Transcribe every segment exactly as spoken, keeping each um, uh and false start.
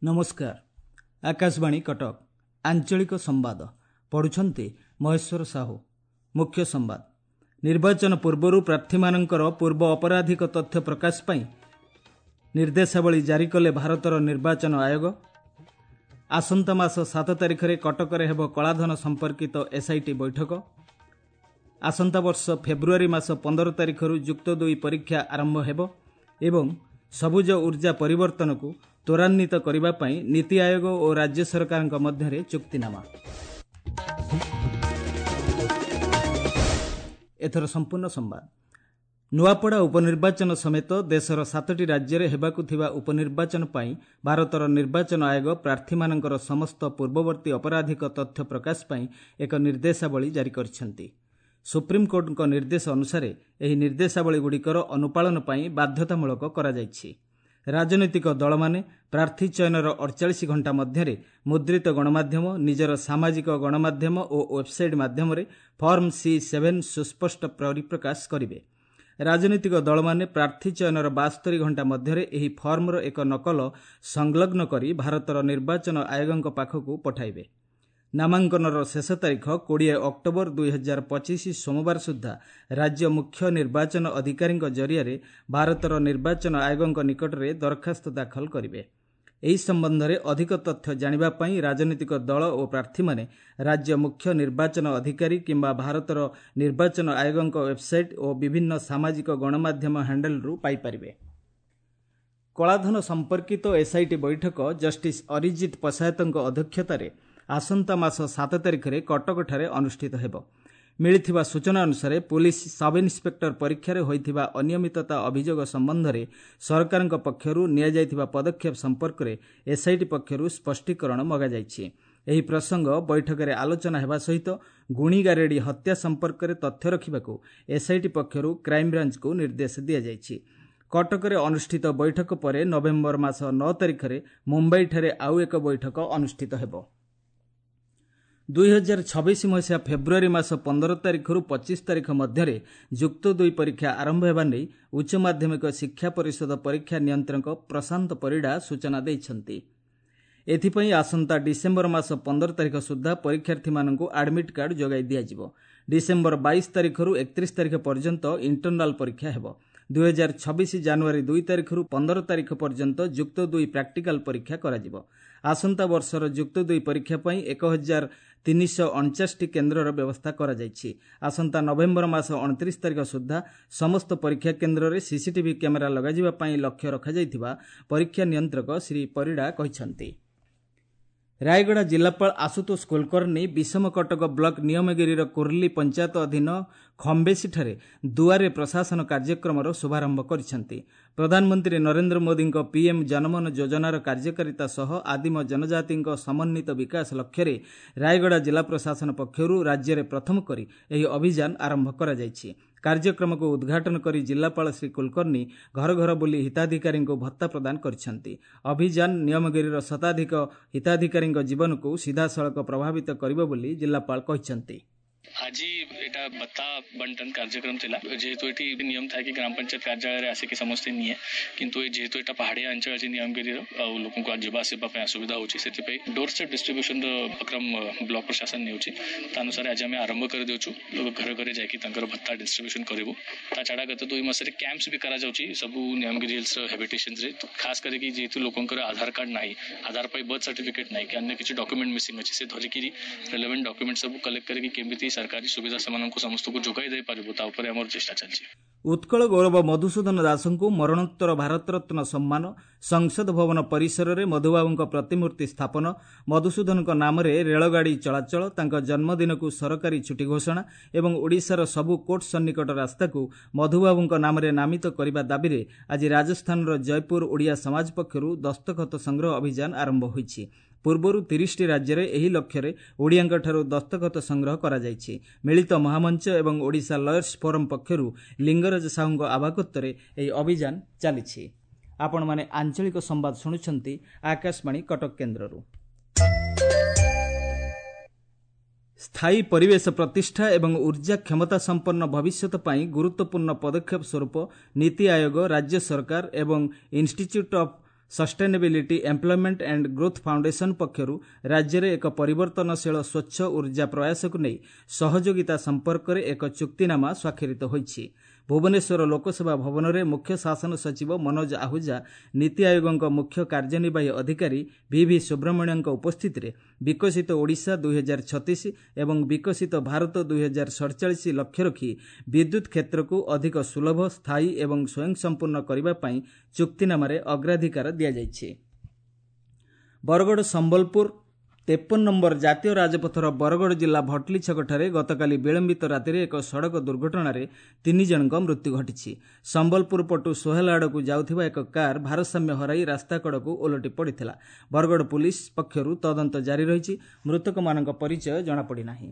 ନମସ୍କାର ଆକାଶବାଣୀ କଟକ ଆଞ୍ଚଳିକ ସମ୍ବାଦ ପଢୁଛନ୍ତି ମହେଶ୍ୱର ସାହୁ ମୁଖ୍ୟ ସମ୍ବାଦ ନିର୍ବାଚନ ପୂର୍ବରୁ ପ୍ରାର୍ଥୀମାନଙ୍କର ପୂର୍ବ ଅପରାଧିକ ତଥ୍ୟ ପ୍ରକାଶ ପାଇଁ ନିର୍ଦ୍ଦେଶାବଳୀ ଜାରି କଲେ ଭାରତର ନିର୍ବାଚନ ଆୟୋଗ ଆସନ୍ତା ମାସ ସାତ ତାରିଖରେ କଟକରେ ହେବ କଳାଧନ ସମ୍ପର୍କିତ ଏସ୍ଆଇଟି ବୈଠକ ଆସନ୍ତା ବର୍ଷ ଫେବୃଆରୀ ମାସ ପନ୍ଦର ତାରିଖରୁ ଯୁକ୍ତ ଦୁଇ ପରୀକ୍ଷା ଆରମ୍ଭ ହେବ ଏବଂ ସବୁଜ ଉର୍ଜା ପରିବର୍ତ୍ତନକୁ ତ୍ୱରାନ୍ୱିତ କରିବା ପାଇଁ ନୀତି ଆୟୋଗ ଓ ରାଜ୍ୟ ସରକାରଙ୍କ ମଧ୍ୟରେ ଚୁକ୍ତିନାମା ଏଥର ସମ୍ପୂର୍ଣ୍ଣ ସମ୍ବାଦ ନୂଆପଡ଼ା ଉପନିର୍ବାଚନ ସମେତ ଦେଶର ସାତଟି ରାଜ୍ୟରେ ହେବାକୁ ଥିବା ଉପନିର୍ବାଚନ ପାଇଁ ଭାରତର ନିର୍ବାଚନ ଆୟୋଗ ପ୍ରାର୍ଥୀମାନଙ୍କର ସମସ୍ତ ପୂର୍ବବର୍ତ୍ତୀ ଅପରାଧିକ ତଥ୍ୟ ପ୍ରକାଶ ପାଇଁ ଏକ ନିର୍ଦ୍ଦେଶାବଳୀ ଜାରି କରିଛନ୍ତି ସୁପ୍ରିମକୋର୍ଟଙ୍କ ନିର୍ଦ୍ଦେଶ ଅନୁସାରେ ଏହି ନିର୍ଦ୍ଦେଶାବଳୀଗୁଡ଼ିକର ଅନୁପାଳନ ପାଇଁ ବାଧ୍ୟତାମୂଳକ କରାଯାଇଛି ରାଜନୈତିକ ଦଳମାନେ ପ୍ରାର୍ଥୀ ଚୟନର ଅଡ଼ଚାଳିଶ ଘଣ୍ଟା ମଧ୍ୟରେ ମୁଦ୍ରିତ ଗଣମାଧ୍ୟମ ନିଜର ସାମାଜିକ ଗଣମାଧ୍ୟମ ଓ ୱେବ୍ସାଇଟ୍ ମାଧ୍ୟମରେ ଫର୍ମ ସି ସେଭେନ୍ ସୁସ୍ପଷ୍ଟ ପରିପ୍ରକାଶ କରିବେ ରାଜନୈତିକ ଦଳମାନେ ପ୍ରାର୍ଥୀ ଚୟନର ବାସ୍ତରି ଘଣ୍ଟା ମଧ୍ୟରେ ଏହି ଫର୍ମର ଏକ ନକଲ ସଂଲଗ୍ନ କରି ଭାରତର ନିର୍ବାଚନ ଆୟୋଗଙ୍କ ପାଖକୁ ପଠାଇବେ ନାମାଙ୍କନର ଶେଷ ତାରିଖ କୋଡ଼ିଏ ଅକ୍ଟୋବର ଦୁଇ ହଜାର ପଚିଶ ସୋମବାର ସୁଦ୍ଧା ରାଜ୍ୟ ମୁଖ୍ୟ ନିର୍ବାଚନ ଅଧିକାରୀଙ୍କ ଜରିଆରେ ଭାରତର ନିର୍ବାଚନ ଆୟୋଗଙ୍କ ନିକଟରେ ଦରଖାସ୍ତ ଦାଖଲ କରିବେ ଏହି ସମ୍ବନ୍ଧରେ ଅଧିକ ତଥ୍ୟ ଜାଣିବା ପାଇଁ ରାଜନୈତିକ ଦଳ ଓ ପ୍ରାର୍ଥୀମାନେ ରାଜ୍ୟ ମୁଖ୍ୟ ନିର୍ବାଚନ ଅଧିକାରୀ କିମ୍ବା ଭାରତର ନିର୍ବାଚନ ଆୟୋଗଙ୍କ ୱେବ୍ସାଇଟ୍ ଓ ବିଭିନ୍ନ ସାମାଜିକ ଗଣମାଧ୍ୟମ ହ୍ୟାଣ୍ଡେଲରୁ ପାଇପାରିବେ କଳାଧନ ସମ୍ପର୍କିତ ଏସ୍ଆଇଟି ବୈଠକ ଜଷ୍ଟିସ୍ ଅରିଜିତ ପଶାୟତଙ୍କ ଅଧ୍ୟକ୍ଷତାରେ ଆସନ୍ତା ମାସ ସାତ ତାରିଖରେ କଟକଠାରେ ଅନୁଷ୍ଠିତ ହେବ ମିଳିଥିବା ସୂଚନା ଅନୁସାରେ ପୁଲିସ ସବ୍ ଇନ୍ସପେକ୍ଟର ପରୀକ୍ଷାରେ ହୋଇଥିବା ଅନିୟମିତତା ଅଭିଯୋଗ ସମ୍ବନ୍ଧରେ ସରକାରଙ୍କ ପକ୍ଷରୁ ନିଆଯାଇଥିବା ପଦକ୍ଷେପ ସମ୍ପର୍କରେ ଏସ୍ଆଇଟି ପକ୍ଷରୁ ସ୍ପଷ୍ଟୀକରଣ ମଗାଯାଇଛି ଏହି ପ୍ରସଙ୍ଗ ବୈଠକରେ ଆଲୋଚନା ହେବା ସହିତ ଗୁଣିଗାରେଡ଼ି ହତ୍ୟା ସମ୍ପର୍କରେ ତଥ୍ୟ ରଖିବାକୁ ଏସ୍ଆଇଟି ପକ୍ଷରୁ କ୍ରାଇମବ୍ରାଞ୍ଚକୁ ନିର୍ଦ୍ଦେଶ ଦିଆଯାଇଛି କଟକରେ ଅନୁଷ୍ଠିତ ବୈଠକ ପରେ ନଭେମ୍ବର ମାସ ନଅ ତାରିଖରେ ମୁମ୍ବାଇଠାରେ ଆଉ ଏକ ବୈଠକ ଅନୁଷ୍ଠିତ ହେବ ଦୁଇ ହଜାର ଛବିଶ ମସିହା ଫେବୃଆରୀ ମାସ ପନ୍ଦର ତାରିଖରୁ ପଚିଶ ତାରିଖ ମଧ୍ୟରେ ଯୁକ୍ତ ଦୁଇ ପରୀକ୍ଷା ଆରମ୍ଭ ହେବା ନେଇ ଉଚ୍ଚ ମାଧ୍ୟମିକ ଶିକ୍ଷା ପରିଷଦ ପରୀକ୍ଷା ନିୟନ୍ତ୍ରକ ପ୍ରଶାନ୍ତ ପରିଡ଼ା ସୂଚନା ଦେଇଛନ୍ତି ଏଥିପାଇଁ ଆସନ୍ତା ଡିସେମ୍ବର ମାସ ପନ୍ଦର ତାରିଖ ସୁଦ୍ଧା ପରୀକ୍ଷାର୍ଥୀମାନଙ୍କୁ ଆଡମିଟ୍ କାର୍ଡ ଯୋଗାଇ ଦିଆଯିବ ଡିସେମ୍ବର ବାଇଶ ତାରିଖରୁ ଏକତିରିଶ ତାରିଖ ପର୍ଯ୍ୟନ୍ତ ଇଣ୍ଟରନାଲ ପରୀକ୍ଷା ହେବ ଦୁଇ ହଜାର ଛବିଶ ଜାନୁଆରୀ ଦୁଇ ତାରିଖରୁ ପନ୍ଦର ତାରିଖ ପର୍ଯ୍ୟନ୍ତ ଯୁକ୍ତ ଦୁଇ ପ୍ରାକ୍ଟିକାଲ ପରୀକ୍ଷା କରାଯିବ ଆସନ୍ତା ବର୍ଷର ଯୁକ୍ତ ଦୁଇ ପରୀକ୍ଷା ପାଇଁ ଏକ ହଜାର ତିନିଶହ ଅଣଚାଶଟି କେନ୍ଦ୍ରର ବ୍ୟବସ୍ଥା କରାଯାଇଛି ଆସନ୍ତା ନଭେମ୍ବର ମାସ ଅଣତିରିଶ ତାରିଖ ସୁଦ୍ଧା ସମସ୍ତ ପରୀକ୍ଷା କେନ୍ଦ୍ରରେ ସିସିଟିଭି କ୍ୟାମେରା ଲଗାଯିବା ପାଇଁ ଲକ୍ଷ୍ୟ ରଖାଯାଇଥିବା ପରୀକ୍ଷା ନିୟନ୍ତ୍ରକ ଶ୍ରୀ ପରିଡ଼ା କହିଛନ୍ତି ରାୟଗଡ଼ା ଜିଲ୍ଲାପାଳ ଆଶୁତୋଷ କୁଲକର୍ଣ୍ଣି ବିଷମକଟକ ବ୍ଲକ ନିୟମଗିରିର କୁର୍ଲି ପଞ୍ଚାୟତ ଅଧୀନ ଖମ୍ବେସିଠାରେ ଦୁଆରେ ପ୍ରଶାସନ କାର୍ଯ୍ୟକ୍ରମର ଶୁଭାରମ୍ଭ କରିଛନ୍ତି ପ୍ରଧାନମନ୍ତ୍ରୀ ନରେନ୍ଦ୍ର ମୋଦିଙ୍କ ପିଏମ୍ ଜନମନ ଯୋଜନାର କାର୍ଯ୍ୟକାରିତା ସହ ଆଦିମ ଜନଜାତିଙ୍କ ସମନ୍ୱିତ ବିକାଶ ଲକ୍ଷ୍ୟରେ ରାୟଗଡ଼ା ଜିଲ୍ଲା ପ୍ରଶାସନ ପକ୍ଷରୁ ରାଜ୍ୟରେ ପ୍ରଥମ କରି ଏହି ଅଭିଯାନ ଆରମ୍ଭ କରାଯାଇଛି କାର୍ଯ୍ୟକ୍ରମକୁ ଉଦ୍ଘାଟନ କରି ଜିଲ୍ଲାପାଳ ଶ୍ରୀ କୁଲକର୍ଣ୍ଣି ଘର ଘର ବୁଲି ହିତାଧିକାରୀଙ୍କୁ ଭତ୍ତା ପ୍ରଦାନ କରିଛନ୍ତି ଅଭିଯାନ ନିୟମଗିରିର ଶତାଧିକ ହିତାଧିକାରୀଙ୍କ ଜୀବନକୁ ସିଧାସଳଖ ପ୍ରଭାବିତ କରିବ ବୋଲି ଜିଲ୍ଲାପାଳ କହିଛନ୍ତି ଆଜି ଏଇଟା ଭତ୍ତା ବଣ୍ଟନ କାର୍ଯ୍ୟକ୍ରମ ଥିଲା ଯେହେତୁ ଏଠି ନିୟମ ଥାଏ କି ଗ୍ରାମ ପଞ୍ଚାୟତ କାର୍ଯ୍ୟାଳୟରେ ଆସିକି ସମସ୍ତେ ନିଏ କିନ୍ତୁ ଏ ଯେହେତୁ ଏଇଟା ପାହାଡ଼ିଆ ଅଞ୍ଚଳ ଅଛି ନିୟମଗିରିର ଆଉ ଲୋକଙ୍କୁ ଯିବା ଆସିବା ପାଇଁ ଅସୁବିଧା ହେଉଛି ସେଥିପାଇଁ ଡୋର ଷ୍ଟେପ୍ ଡିଷ୍ଟ୍ରିବ୍ୟୁସନର ଉପକ୍ରମ ବ୍ଲକ ପ୍ରଶାସନ ନେଉଛି ତା ଅନୁସାରେ ଆଜି ଆମେ ଆରମ୍ଭ କରିଦେଉଛୁ ଘରେ ଘରେ ଯାଇକି ତାଙ୍କର ଭତ୍ତା ଡିଷ୍ଟ୍ରିବ୍ୟୁସନ କରିବୁ ତା ଛଡ଼ା ଗତ ଦୁଇ ମାସରେ କ୍ୟାମ୍ପସ୍ ବି କରାଯାଉଛି ସବୁ ନିୟମଗିରି ହିଲ୍ସର ହାବିଟେସନ୍ସରେ ଖାସ କରିକି ଯେହେତୁ ଲୋକଙ୍କର ଆଧାର କାର୍ଡ ନାହିଁ ଆଧାର ପାଇଁ ବର୍ଥ ସାର୍ଟିଫିକେଟ୍ ନାହିଁ କି ଅନ୍ୟ କିଛି ଡକ୍ୟୁମେଣ୍ଟ ମିସିଂ ଅଛି ସେ ଧରିକିରି ରେଲେଭେଣ୍ଟ ଡକ୍ୟୁମେଣ୍ଟ ସବୁ କଲେକ୍ଟ କରିକି କେମିତି ସରକାରୀ ସୁବିଧା ସେମାନଙ୍କୁ ସମସ୍ତଙ୍କୁ ଯୋଗାଇ ଦେଇପାରିବୁ ତା ଉପରେ ଆମର ଚେଷ୍ଟା ଚାଲିଛି ଉତ୍କଳ ଗୌରବ ମଧୁସୂଦନ ଦାସଙ୍କୁ ମରଣୋତ୍ତର ଭାରତରତ୍ନ ସମ୍ମାନ ସଂସଦ ଭବନ ପରିସରରେ ମଧୁବାବୁଙ୍କ ପ୍ରତିମୂର୍ତ୍ତି ସ୍ଥାପନ ମଧୁସୂଦନଙ୍କ ନାମରେ ରେଳଗାଡ଼ି ଚଳାଚଳ ତାଙ୍କ ଜନ୍ମଦିନକୁ ସରକାରୀ ଛୁଟି ଘୋଷଣା ଏବଂ ଓଡ଼ିଶାର ସବୁ କୋର୍ଟ ସନ୍ନିକଟ ରାସ୍ତାକୁ ମଧୁବାବୁଙ୍କ ନାମରେ ନାମିତ କରିବା ଦାବିରେ ଆଜି ରାଜସ୍ଥାନର ଜୟପୁର ଓଡ଼ିଆ ସମାଜ ପକ୍ଷରୁ ଦସ୍ତଖତ ସଂଗ୍ରହ ଅଭିଯାନ ଆରମ୍ଭ ହୋଇଛି ପୂର୍ବରୁ ତିରିଶଟି ରାଜ୍ୟରେ ଏହି ଲକ୍ଷ୍ୟରେ ଓଡ଼ିଆଙ୍କଠାରୁ ଦସ୍ତଖତ ସଂଗ୍ରହ କରାଯାଇଛି ମିଳିତ ମହାମଞ୍ଚ ଏବଂ ଓଡ଼ିଶା ଲୟର୍ସ ଫୋରମ୍ ପକ୍ଷରୁ ଲିଙ୍ଗରାଜ ସାହୁଙ୍କ ଆବାହକତ୍ୱରେ ଏହି ଅଭିଯାନ ଚାଲିଛି ଆପଣମାନେ ଆଞ୍ଚଳିକ ସମ୍ବାଦ ଶୁଣୁଛନ୍ତି ଆକାଶବାଣୀ କଟକ କେନ୍ଦ୍ରରୁ ସ୍ଥାୟୀ ପରିବେଶ ପ୍ରତିଷ୍ଠା ଏବଂ ଉର୍ଜା କ୍ଷମତା ସମ୍ପନ୍ନ ଭବିଷ୍ୟତ ପାଇଁ ଗୁରୁତ୍ୱପୂର୍ଣ୍ଣ ପଦକ୍ଷେପ ସ୍ୱରୂପ ନୀତି ଆୟୋଗ, ରାଜ୍ୟ ସରକାର ଏବଂ Institute of Sustainability Employment and Growth Foundation ପକ୍ଷରୁ ରାଜ୍ୟରେ ଏକ ପରିବର୍ତ୍ତନଶୀଳ ସ୍ୱଚ୍ଛ ଉର୍ଜା ପ୍ରୟାସକୁ ନେଇ ସହଯୋଗିତା ସମ୍ପର୍କରେ ଏକ ଚୁକ୍ତିନାମା ସ୍ୱାକ୍ଷରିତ ହୋଇଛି। ଭୁବନେଶ୍ୱର ଲୋକସେବା ଭବନରେ ମୁଖ୍ୟ ଶାସନ ସଚିବ ମନୋଜ ଆହୁଜା ନୀତି ଆୟୋଗଙ୍କ ମୁଖ୍ୟ କାର୍ଯ୍ୟନିର୍ବାହୀ ଅଧିକାରୀ ଭି ଭି ସୁବ୍ରମଣ୍ୟଙ୍କ ଉପସ୍ଥିତିରେ ବିକଶିତ ଓଡ଼ିଶା ଦୁଇହଜାର ଛତିଶ ଏବଂ ବିକଶିତ ଭାରତ ଦୁଇହଜାର ସଡ଼ଚାଳିଶ ଲକ୍ଷ୍ୟ ରଖି ବିଦ୍ୟୁତ୍ କ୍ଷେତ୍ରକୁ ଅଧିକ ସୁଲଭ, ସ୍ଥାୟୀ ଏବଂ ସ୍ୱୟଂସମ୍ପୂର୍ଣ୍ଣ କରିବା ପାଇଁ ଚୁକ୍ତିନାମାରେ ଅଗ୍ରାଧିକାର ଦିଆଯାଇଛି। ବରଗଡ଼ ସମ୍ବଲପୁର ତେପନ ନମ୍ବର ଜାତୀୟ ରାଜପଥର ବରଗଡ଼ ଜିଲ୍ଲା ଭଟଲି ଛକଠାରେ ଗତକାଲି ବିଳମ୍ବିତ ରାତିରେ ଏକ ସଡ଼କ ଦୁର୍ଘଟଣାରେ ତିନି ଜଣଙ୍କ ମୃତ୍ୟୁ ଘଟିଛି। ସମ୍ବଲପୁର ପଟୁ ସୋହେଲା ଆଡ଼କୁ ଯାଉଥିବା ଏକ କାର୍ ଭାରସାମ୍ୟ ହରାଇ ରାସ୍ତା କଡ଼କୁ ଓଲଟି ପଡ଼ିଥିଲା। ବରଗଡ଼ ପୁଲିସ ପକ୍ଷରୁ ତଦନ୍ତ ଜାରି ରହିଛି। ମୃତକମାନଙ୍କ ପରିଚୟ ଜଣାପଡ଼ିନାହିଁ।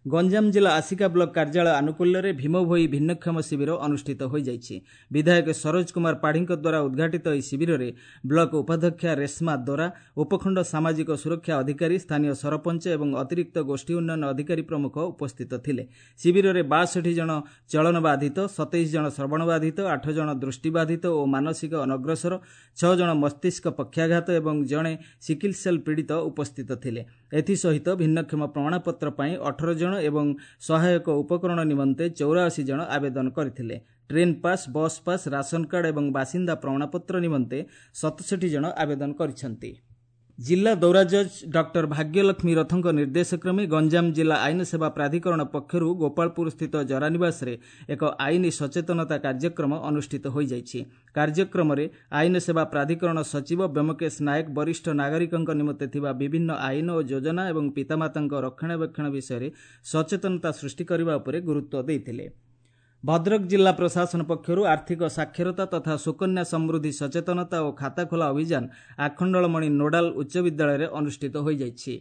ଗଞ୍ଜାମ ଜିଲ୍ଲା ଆସିକା ବ୍ଲକ କାର୍ଯ୍ୟାଳୟ ଆନୁକୂଲ୍ୟରେ ଭୀମଭୋଇ ଭିନ୍ନକ୍ଷମ ଶିବିର ଅନୁଷ୍ଠିତ ହୋଇଯାଇଛି। ବିଧାୟକ ସରୋଜ କୁମାର ପାଢ଼ୀଙ୍କ ଦ୍ୱାରା ଉଦ୍ଘାଟିତ ଏହି ଶିବିରରେ ବ୍ଲକ ଉପାଧ୍ୟକ୍ଷା ରେଶ୍ମା ଦୋରା, ଉପଖଣ୍ଡ ସାମାଜିକ ସୁରକ୍ଷା ଅଧିକାରୀ, ସ୍ଥାନୀୟ ସରପଞ୍ଚ ଏବଂ ଅତିରିକ୍ତ ଗୋଷ୍ଠୀ ଉନ୍ନୟନ ଅଧିକାରୀ ପ୍ରମୁଖ ଉପସ୍ଥିତ ଥିଲେ। ଶିବିରରେ ବାଷଠି ଜଣ ଚଳନ ବାଧିତ, ସତେଇଶ ଜଣ ଶ୍ରବଣ ବାଧିତ, ଆଠ ଜଣ ଦୃଷ୍ଟିବାଧିତ ଓ ମାନସିକ ଅନଗ୍ରସର, ଛଅ ଜଣ ମସ୍ତିଷ୍କ ପକ୍ଷାଘାତ ଏବଂ ଜଣେ ସିକିଲ ସେଲ୍ ପୀଡ଼ିତ ଉପସ୍ଥିତ ଥିଲେ। ଏଥିସହିତ ଭିନ୍ନକ୍ଷମ ପ୍ରମାଣପତ୍ର ପାଇଁ ଅଠର ଜଣ ଏବଂ ସହାୟକ ଉପକରଣ ନିମନ୍ତେ ଚଉରାଅଶୀ ଜଣ ଆବେଦନ କରିଥିଲେ। Train pass, bus pass, ration card ଏବଂ ବାସିନ୍ଦା ପ୍ରମାଣପତ୍ର ନିମନ୍ତେ ସତଷଠି ଜଣ ଆବେଦନ କରିଛନ୍ତି। ଜିଲ୍ଲା ଦୌରା ଜଜ୍ ଡକ୍ଟର ଭାଗ୍ୟଲକ୍ଷ୍ମୀ ରଥଙ୍କ ନିର୍ଦ୍ଦେଶକ୍ରମେ ଗଞ୍ଜାମ ଜିଲ୍ଲା ଆଇନ ସେବା ପ୍ରାଧିକରଣ ପକ୍ଷରୁ ଗୋପାଳପୁରସ୍ଥିତ ଜରାନିବାସରେ ଏକ ଆଇନ ସଚେତନତା କାର୍ଯ୍ୟକ୍ରମ ଅନୁଷ୍ଠିତ ହୋଇଯାଇଛି। କାର୍ଯ୍ୟକ୍ରମରେ ଆଇନ ସେବା ପ୍ରାଧିକରଣ ସଚିବ ବ୍ୟୋମକେଶ ନାୟକ ବରିଷ୍ଠ ନାଗରିକଙ୍କ ନିମନ୍ତେ ଥିବା ବିଭିନ୍ନ ଆଇନ ଓ ଯୋଜନା ଏବଂ ପିତାମାତାଙ୍କ ରକ୍ଷଣାବେକ୍ଷଣ ବିଷୟରେ ସଚେତନତା ସୃଷ୍ଟି କରିବା ଉପରେ ଗୁରୁତ୍ୱ ଦେଇଥିଲେ। ଭଦ୍ରକ ଜିଲ୍ଲା ପ୍ରଶାସନ ପକ୍ଷରୁ ଆର୍ଥିକ ସାକ୍ଷରତା ତଥା ସୁକନ୍ୟା ସମୃଦ୍ଧି ସଚେତନତା ଓ ଖାତା ଖୋଲା ଅଭିଯାନ ଆଖଣ୍ଡଳମଣି ନୋଡାଲ ଉଚ୍ଚ ବିଦ୍ୟାଳୟରେ ଅନୁଷ୍ଠିତ ହୋଇଯାଇଛି।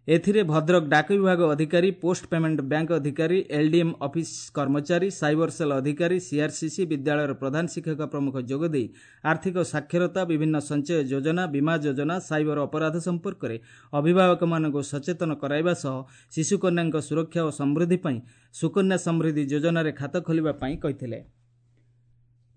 ଏଥିରେ ଭଦ୍ରକ ଡାକ ବିଭାଗ ଅଧିକାରୀ, ପୋଷ୍ଟ ପେମେଣ୍ଟ ବ୍ୟାଙ୍କ ଅଧିକାରୀ, ଏଲ୍ଡିଏମ୍ ଅଫିସ କର୍ମଚାରୀ, ସାଇବର ସେଲ୍ ଅଧିକାରୀ, ସିଆର୍ସିସି, ବିଦ୍ୟାଳୟର ପ୍ରଧାନ ଶିକ୍ଷକ ପ୍ରମୁଖ ଯୋଗଦେଇ ଆର୍ଥିକ ସାକ୍ଷରତା, ବିଭିନ୍ନ ସଞ୍ଚୟ ଯୋଜନା, ବୀମା ଯୋଜନା, ସାଇବର ଅପରାଧ ସମ୍ପର୍କରେ ଅଭିଭାବକମାନଙ୍କୁ ସଚେତନ କରାଇବା ସହ ଶିଶୁକନ୍ୟାଙ୍କ ସୁରକ୍ଷା ଓ ସମୃଦ୍ଧି ପାଇଁ ସୁକନ୍ୟା ସମୃଦ୍ଧି ଯୋଜନାରେ ଖାତା ଖୋଲିବା ପାଇଁ କହିଥିଲେ।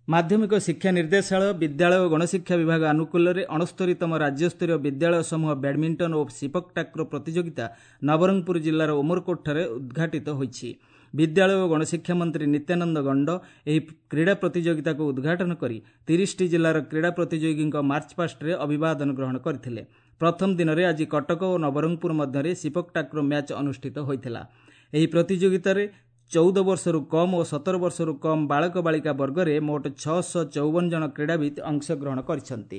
ମାଧ୍ୟମିକ ଶିକ୍ଷା ନିର୍ଦ୍ଦେଶାଳୟ, ବିଦ୍ୟାଳୟ ଓ ଗଣଶିକ୍ଷା ବିଭାଗ ଆନୁକୂଲ୍ୟରେ ଅଣସ୍ତରୀତମ ରାଜ୍ୟସ୍ତରୀୟ ବିଦ୍ୟାଳୟ ସମୂହ ବ୍ୟାଡମିଣ୍ଟନ ଓ ସିପକ୍ ଟାକ୍ରୋ ପ୍ରତିଯୋଗିତା ନବରଙ୍ଗପୁର ଜିଲ୍ଲାର ଉମରକୋଟଠାରେ ଉଦ୍ଘାଟିତ ହୋଇଛି। ବିଦ୍ୟାଳୟ ଓ ଗଣଶିକ୍ଷା ମନ୍ତ୍ରୀ ନିତ୍ୟାନନ୍ଦ ଗଣ୍ଡ ଏହି କ୍ରୀଡ଼ା ପ୍ରତିଯୋଗିତାକୁ ଉଦ୍ଘାଟନ କରି ତିରିଶଟି ଜିଲ୍ଲାର କ୍ରୀଡ଼ା ପ୍ରତିଯୋଗୀଙ୍କ ମାର୍ଚ୍ଚପାଷ୍ଟରେ ଅଭିବାଦନ ଗ୍ରହଣ କରିଥିଲେ। ପ୍ରଥମ ଦିନରେ ଆଜି କଟକ ଓ ନବରଙ୍ଗପୁର ମଧ୍ୟରେ ସିପକ୍ ଟାକ୍ରୋ ମ୍ୟାଚ୍ ଅନୁଷ୍ଠିତ ହୋଇଥିଲା। ଏହି ପ୍ରତିଯୋଗିତାରେ ଚଉଦ ବର୍ଷରୁ କମ୍ ଓ ସତର ବର୍ଷରୁ କମ୍ ବାଳକ ବାଳିକା ବର୍ଗରେ ମୋଟ ଛଅଶହ ଚଉବନ ଜଣ କ୍ରୀଡ଼ାବିତ୍ ଅଂଶଗ୍ରହଣ କରିଛନ୍ତି।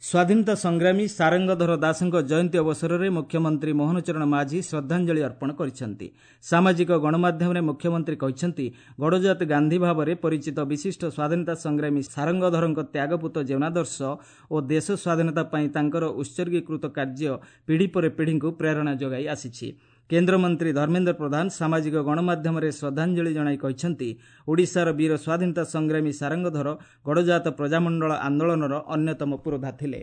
ସ୍ୱାଧୀନତା ସଂଗ୍ରାମୀ ସାରଙ୍ଗଧର ଦାସଙ୍କ ଜୟନ୍ତୀ ଅବସରରେ ମୁଖ୍ୟମନ୍ତ୍ରୀ ମୋହନ ଚରଣ ମାଝୀ ଶ୍ରଦ୍ଧାଞ୍ଜଳି ଅର୍ପଣ କରିଛନ୍ତି। ସାମାଜିକ ଗଣମାଧ୍ୟମରେ ମୁଖ୍ୟମନ୍ତ୍ରୀ କହିଛନ୍ତି, ଗଡ଼ଜାତ ଗାନ୍ଧୀ ଭାବରେ ପରିଚିତ ବିଶିଷ୍ଟ ସ୍ୱାଧୀନତା ସଂଗ୍ରାମୀ ସାରଙ୍ଗଧରଙ୍କ ତ୍ୟାଗପୂତ ଜୀବନାଦର୍ଶ ଓ ଦେଶ ସ୍ୱାଧୀନତା ପାଇଁ ତାଙ୍କର ଉତ୍ସର୍ଗୀକୃତ କାର୍ଯ୍ୟ ପିଢ଼ି ପରେ ପିଢ଼ିଙ୍କୁ ପ୍ରେରଣା ଯୋଗାଇ ଆସିଛି। କେନ୍ଦ୍ରମନ୍ତ୍ରୀ ଧର୍ମେନ୍ଦ୍ର ପ୍ରଧାନ ସାମାଜିକ ଗଣମାଧ୍ୟମରେ ଶ୍ରଦ୍ଧାଞ୍ଜଳି ଜଣାଇ କହିଛନ୍ତି, ଓଡ଼ିଶାର ବୀର ସ୍ୱାଧୀନତା ସଂଗ୍ରାମୀ ସାରଙ୍ଗଧର ଗଡ଼ଜାତ ପ୍ରଜାମଣ୍ଡଳ ଆନ୍ଦୋଳନର ଅନ୍ୟତମ ପୁରୋଧା ଥିଲେ।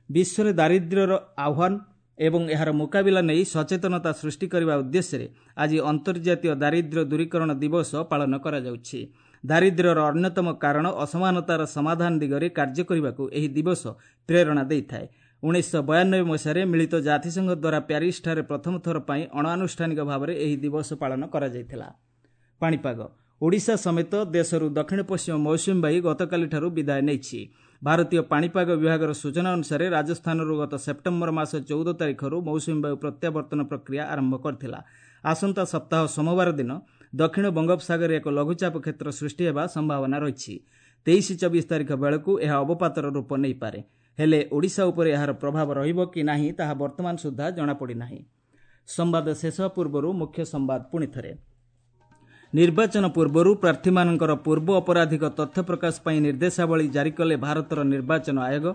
ବିଶ୍ୱରେ ଦାରିଦ୍ର୍ୟର ଆହ୍ୱାନ ଏବଂ ଏହାର ମୁକାବିଲା ନେଇ ସଚେତନତା ସୃଷ୍ଟି କରିବା ଉଦ୍ଦେଶ୍ୟରେ ଆଜି ଅନ୍ତର୍ଜାତୀୟ ଦାରିଦ୍ର୍ୟ ଦୂରୀକରଣ ଦିବସ ପାଳନ କରାଯାଉଛି। ଦାରିଦ୍ର୍ୟର ଅନ୍ୟତମ କାରଣ ଅସମାନତାର ସମାଧାନ ଦିଗରେ କାର୍ଯ୍ୟ କରିବାକୁ ଏହି ଦିବସ ପ୍ରେରଣା ଦେଇଥାଏ। ଉଣେଇଶହ ବୟାନବେ ମସିହାରେ ମିଳିତ ଜାତିସଂଘ ଦ୍ୱାରା ପ୍ୟାରିସଠାରେ ପ୍ରଥମ ଥର ପାଇଁ ଅଣଆନୁଷ୍ଠାନିକ ଭାବରେ ଏହି ଦିବସ ପାଳନ କରାଯାଇଥିଲା। ପାଣିପାଗ। ଓଡ଼ିଶା ସମେତ ଦେଶରୁ ଦକ୍ଷିଣ ପଶ୍ଚିମ ମୌସୁମୀ ବାୟୁ ଗତକାଲିଠାରୁ ବିଦାୟ ନେଇଛି। ଭାରତୀୟ ପାଣିପାଗ ବିଭାଗର ସୂଚନା ଅନୁସାରେ ରାଜସ୍ଥାନରୁ ଗତ ସେପ୍ଟେମ୍ବର ମାସ ଚଉଦ ତାରିଖରୁ ମୌସୁମୀ ବାୟୁ ପ୍ରତ୍ୟାବର୍ତ୍ତନ ପ୍ରକ୍ରିୟା ଆରମ୍ଭ କରିଥିଲା। ଆସନ୍ତା ସପ୍ତାହ ସୋମବାର ଦିନ ଦକ୍ଷିଣ ବଙ୍ଗୋପସାଗରରେ ଏକ ଲଘୁଚାପ କ୍ଷେତ୍ର ସୃଷ୍ଟି ହେବା ସମ୍ଭାବନା ରହିଛି। ତେଇଶ ଚବିଶ ତାରିଖ ବେଳକୁ ଏହା ଅବପାତର ରୂପ ନେଇପାରେ। ହେଲେ ଓଡ଼ିଶା ଉପରେ ଏହାର ପ୍ରଭାବ ରହିବ କି ନାହିଁ ତାହା ବର୍ତ୍ତମାନ ସୁଦ୍ଧା ଜଣାପଡ଼ିନାହିଁ। ସମ୍ବାଦ ଶେଷ ପୂର୍ବରୁ ମୁଖ୍ୟ ସମ୍ବାଦ ପୁଣିଥରେ। ନିର୍ବାଚନ ପୂର୍ବରୁ ପ୍ରାର୍ଥୀମାନଙ୍କର ପୂର୍ବ ଅପରାଧିକ ତଥ୍ୟ ପ୍ରକାଶ ପାଇଁ ନିର୍ଦ୍ଦେଶାବଳୀ ଜାରି କଲେ ଭାରତର ନିର୍ବାଚନ ଆୟୋଗ।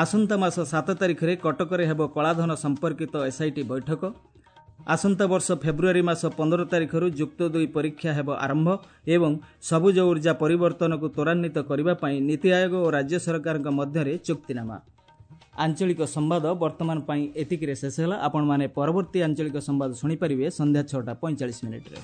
ଆସନ୍ତା ମାସ ସାତ ତାରିଖରେ କଟକରେ ହେବ କଳାଧନ ସମ୍ପର୍କିତ ଏସ୍ଆଇଟି ବୈଠକ। ଆସନ୍ତା ବର୍ଷ ଫେବୃଆରୀ ମାସ ପନ୍ଦର ତାରିଖରୁ ଯୁକ୍ତ ଦୁଇ ପରୀକ୍ଷା ହେବ ଆରମ୍ଭ ଏବଂ ସବୁଜ ଉର୍ଜା ପରିବର୍ତ୍ତନକୁ ତ୍ୱରାନ୍ୱିତ କରିବା ପାଇଁ ନୀତି ଆୟୋଗ ଓ ରାଜ୍ୟ ସରକାରଙ୍କ ମଧ୍ୟରେ ଚୁକ୍ତିନାମା। ଆଞ୍ଚଳିକ ସମ୍ବାଦ ବର୍ତ୍ତମାନ ପାଇଁ ଏତିକିରେ ଶେଷ ହେଲା। ଆପଣମାନେ ପରବର୍ତ୍ତୀ ଆଞ୍ଚଳିକ ସମ୍ବାଦ ଶୁଣିପାରିବେ ସନ୍ଧ୍ୟା ଛଅଟା ପଇଁଚାଳିଶ ମିନିଟ୍ରେ।